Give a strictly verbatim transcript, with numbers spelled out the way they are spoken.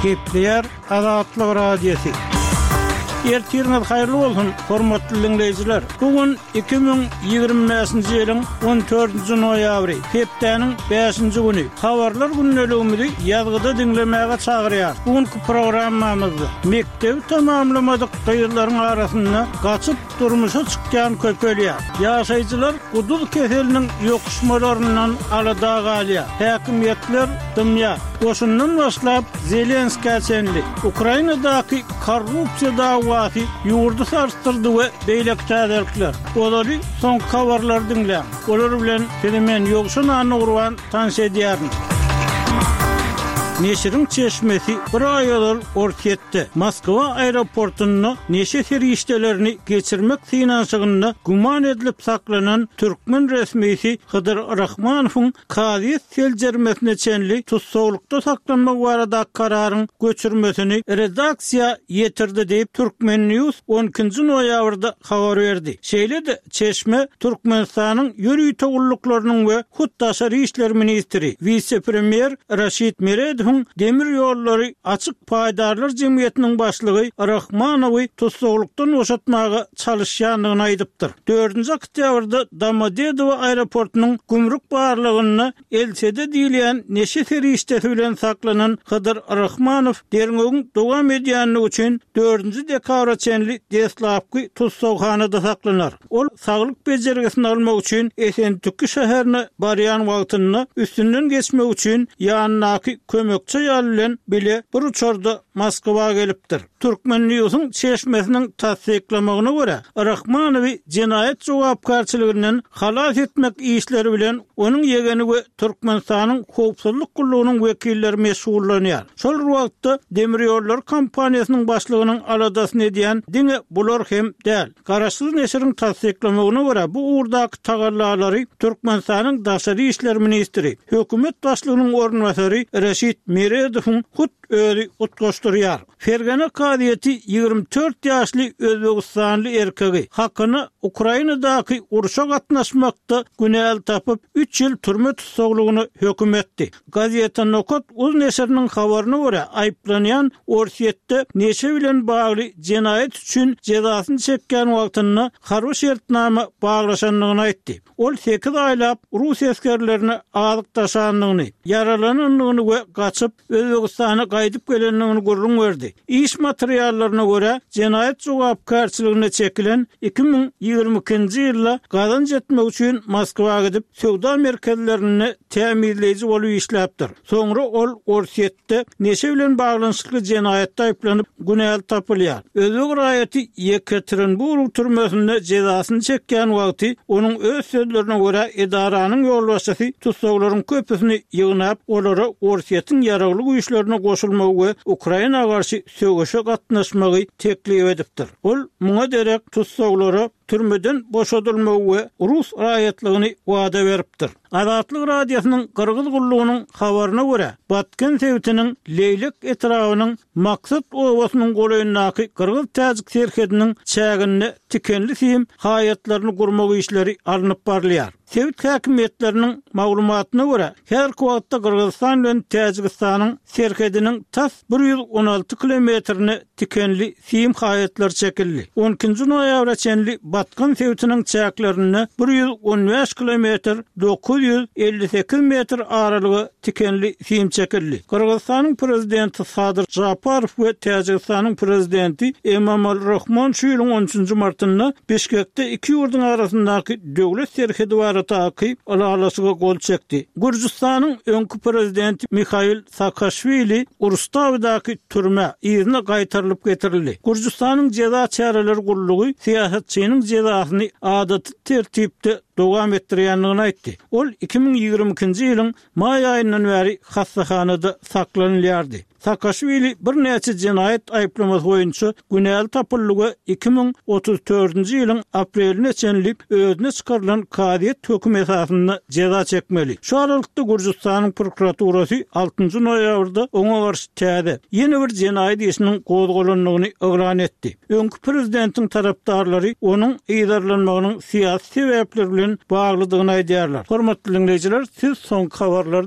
Gepleýär Azatlyk Radiosy. Ertiriňiz haýyrly bolsun, hormatly diňleýjiler. Bu gün iki müň ýigrimi bäşinji ýylyň on dördünji noýabry, hepdäniň bäşinji güni. Habarlar gündeligimizi ýazgyda diňlemäge çagyrýar. Bu günki programmamyzda mekdebi tamamlamadyk gyzlaryň arasynda gaçyp durmuşa çykýan köpelýär. Ýaşaýjylar guduz keseliniň ýokuşmalaryndan alada galýar. Häkimiýetler dymýar. Goşundan başlap Zelenskä çenli Ukrainadaky korrupsiýa dawasy ýurdy sarsdyrdy we beýleki täzelikler. Ozaly soňky habarlary diňläň. Olar bilen sizi men Ýowşan Annagurban tanyş edýärin. Neşiriň çeşmesi bir aý ozal Orsýetde Moskwa aeroportunda neşe serişdelerini geçirmek synanyşygynda güman edilip saklanan türkmen resmisi Hydyr Rahmanowyň kazyýet seljermesine çenli tussaglykda saklanmagy baradaky kararyň göçürmesini redaksiýa ýetirdi diýip, Turkmen News on ikinji noýabrda habar berdi. Şeýle-de çeşme Türkmenistanyň ýörite gulluklarynyň we hut daşary işler ministri, wise-premýer Raşid Meredowyň demir ýollary açyk paýdarlar jemgyýetiniň başlygy Rahmanowy tussaglykdan boşatmaga çalyşýandygyny aýdypdyr. Dördünji oktýabrda Domodedowo aeroportunyň gümrük barlagynda L S D diýilýän neşe serişdesi bilen saklanan Hydyr Rahmanow derňewiň dowam edýändigi üçin dördünji dekabra çenli deslapky tussaghanada saklanar. Ol saglyk bejergisini almak üçin Esentüki şäherine barýan wagtynda üstünden geçmek üçin ýanyndaky kömekçi aýal bilen bile bir uçarda Moskwa gelipdir. Turkmen News'uň çeşmesiniň tassyklamagyna görä, Rahmanowy jenaýat jogapkärçiliginden halas etmek işleri bilen onuň ýegeni we Türkmenistanyň howpsuzlyk gullugynyň wekilleri meşgullanýar. Şol wagtda demir ýollar kompaniýasynyň başlygynyň aladasyny edýän diňe bular hem däl. Garaşsyz neşiriň tassyklamagyna görä, bu ugurdaky tagallalary Türkmenistanyň daşary işler ministri, hökümet başlygynyň orunbasary Raşid Meredowyň hut özi utgaşdyrýar. Fergana kazyýeti ýigrimi dört ýaşly Özbegistanly erkegi hakyny Ukrainadaky urşa gatnaşmakda günäli tapyp, üç ýyl türme tussaglygyna höküm etdi. Gazeta Nokat uz neşiriniň habaryna görä, aýyplanýan Orsýetde neşe bilen bagly jenaýat üçin jezasyny çekýän wagtynda harby şertnama baglaşandygyny aýtdy. Ol sekiz aýlap rus esgerlerine azyk daşandygyny, ýaralanandygyny we gaçyp Özbegistana gaýdyp gelendigini gürrüň berdi. Iş materiallaryna görä, jenaýat jogapkärçiligine çekilen iki müň ýigrimi ikinji ýylda gazanç etmek üçin Moskwa gidip, söwda merkezlerinde tämizleýji bolup işläpdir. Soňra ol Orsýetde neşe bilen baglanyşykly jenaýatda aýyplanyp, günäli tapylýar. Özbek raýaty Ýekaterinburg türmesinde jezasyny çekýän wagty onuň öz sözlerine görä edaranyň ýolbaşçysy tussaglaryň köpüsini ýygnap, olara Orsýetiň ýaragly güýçlerine goşulmagy we Ukraina garşy söweşe gatnaşmagy teklip edipdir. Ol muňa derek tussaglara türmeden boşadylmagy we rus raýatlygyny wada beripdir. Azatlyk Radiosynyň Gyrgyz gullugynyň habaryna görä, Batken sebitiniň Leýlek etrabynyň Maksat obasynyň golaýyndaky Gyrgyz-Täjik serhediniň çäginde tikenli sim haýatlaryny gurmak işleri alnyp barylýar. Sebit häkimiýetleriniň maglumatyna görä, häzirki wagtda Gyrgyzystan bilen Täjigistanyň serhediniň tas bir ýüz on alty kilometrine tikenli sim haýatlar çekildi. On ikinji noýabra çenli Batgan sebitiniň çäklerinde bir ýüz on bäş kilometr dokuz ýüz elli sekiz metr aralyga tikenli sim çekildi. Gyrgyzystanyň prezidenti Sadyr Japarow we Täjigistanyň prezidenti Emomali Rahmon şu ýylyň on üçünji martynda Bişkekde iki ýurduň arasyndaky döwlet serhedi baradaky ylalaşyga gol çekdi. Gürjüstanyň öňki prezidenti Mihail Saakaşwili Rustawidaky türmä yzyna gaýtarylyp getirildi. Gürjüstanyň jeza çäreleri gullugy syýasatçynyň jezasyny adaty tertipde dowam etdirýändigini aýtdy. Ol iki müň ýigrimi ikinji ýylyň maý aýyndan bäri hassahanada saklanylýardy. Saakaşwili birnäçe jenaýat aýyplamasy boýunça günäli tapyldy we iki müň otuz dördünji ýylyň apreline çenli özüne çykarylan kazyýet hökümi esasynda jeza çekmeli. Şu aralykda Gürjüstanyň prokuraturasy altynjy noýabrda oňa garşy täze, ýene bir jenaýat işiniň gozgalandygyny yglan etdi. Öňki prezidentiň tarapdarlary onuň yzarlanmagynyň syýasy sebäpler bilen baglydygyny aýdýarlar. Hormatly diňleýjiler, siz soňky habarlary